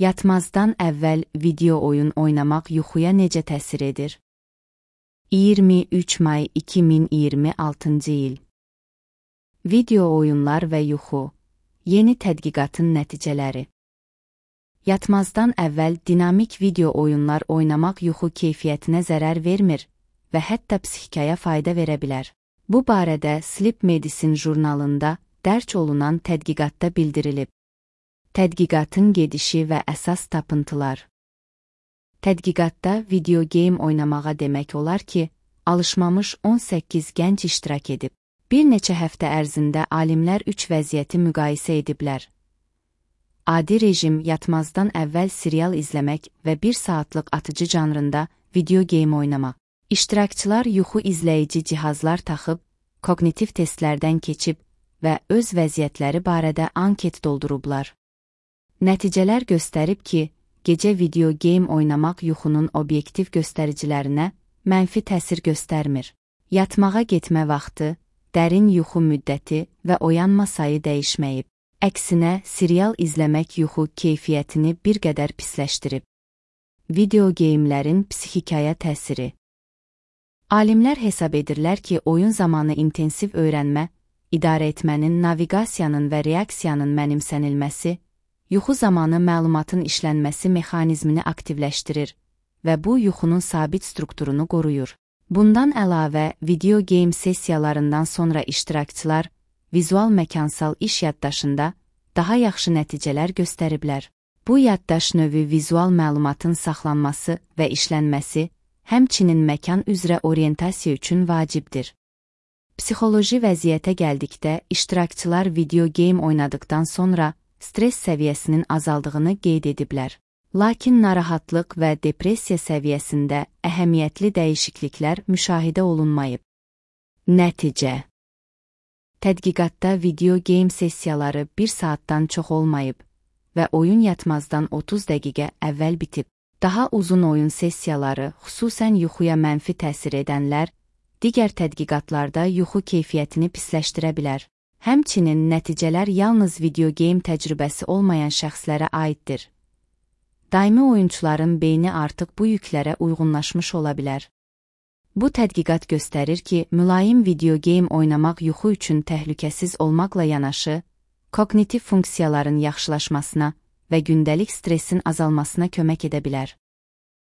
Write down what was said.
Yatmazdan əvvəl video oyun oynamaq yuxuya necə təsir edir? 23 may 2026-cı il. Video oyunlar və yuxu. Yeni tədqiqatın nəticələri. Yatmazdan əvvəl dinamik video oyunlar oynamaq yuxu keyfiyyətinə zərər vermir və hətta psixikaya fayda verə bilər. Bu barədə Sleep Medicine jurnalında dərc olunan tədqiqatda bildirilib. Tədqiqatın gedişi və əsas tapıntılar. Tədqiqatda video game oynamağa demək olar ki, alışmamış 18 gənc iştirak edib. Bir neçə həftə ərzində alimlər 3 vəziyyəti müqayisə ediblər. Adi rejim yatmazdan əvvəl serial izləmək və 1 saatlıq atıcı janrında video game oynamaq. İştirakçılar yuxu izləyici cihazlar taxıb, kognitiv testlərdən keçib və öz vəziyyətləri barədə anket doldurublar. Nəticələr göstərib ki, gecə video game oynamaq yuxunun obyektiv göstəricilərinə mənfi təsir göstərmir. Yatmağa getmə vaxtı, dərin yuxu müddəti və oyanma sayı dəyişməyib. Əksinə, serial izləmək yuxu keyfiyyətini bir qədər pisləşdirib. Video geyimlərin psixikaya təsiri. Alimlər hesab edirlər ki, oyun zamanı intensiv öyrənmə, idarə etmənin, naviqasiyanın və reaksiyanın mənimsənilməsi, yuxu zamanı məlumatın işlənməsi mexanizmini aktivləşdirir və bu yuxunun sabit strukturunu qoruyur. Bundan əlavə, video game sessiyalarından sonra iştirakçılar vizual məkansal iş yaddaşında daha yaxşı nəticələr göstəriblər. Bu yaddaş növü vizual məlumatın saxlanması və işlənməsi, həmçinin məkan üzrə orientasiya üçün vacibdir. Psixoloji vəziyyətə gəldikdə, iştirakçılar video game oynadıkdan sonra stress səviyyəsinin azaldığını qeyd ediblər. Lakin narahatlıq və depressiya səviyyəsində əhəmiyyətli dəyişikliklər müşahidə olunmayıb. Nəticə. Tədqiqatda video game sessiyaları 1 saatdan çox olmayıb və oyun yatmazdan 30 dəqiqə əvvəl bitib. Daha uzun oyun sessiyaları, xüsusən yuxuya mənfi təsir edənlər, digər tədqiqatlarda yuxu keyfiyyətini pisləşdirə bilər. Həmçinin nəticələr yalnız video game təcrübəsi olmayan şəxslərə aiddir. Daimi oyunçuların beyni artıq bu yüklərə uyğunlaşmış ola bilər. Bu tədqiqat göstərir ki, mülayim video game oynamaq yuxu üçün təhlükəsiz olmaqla yanaşı, kognitiv funksiyaların yaxşılaşmasına və gündəlik stressin azalmasına kömək edə bilər.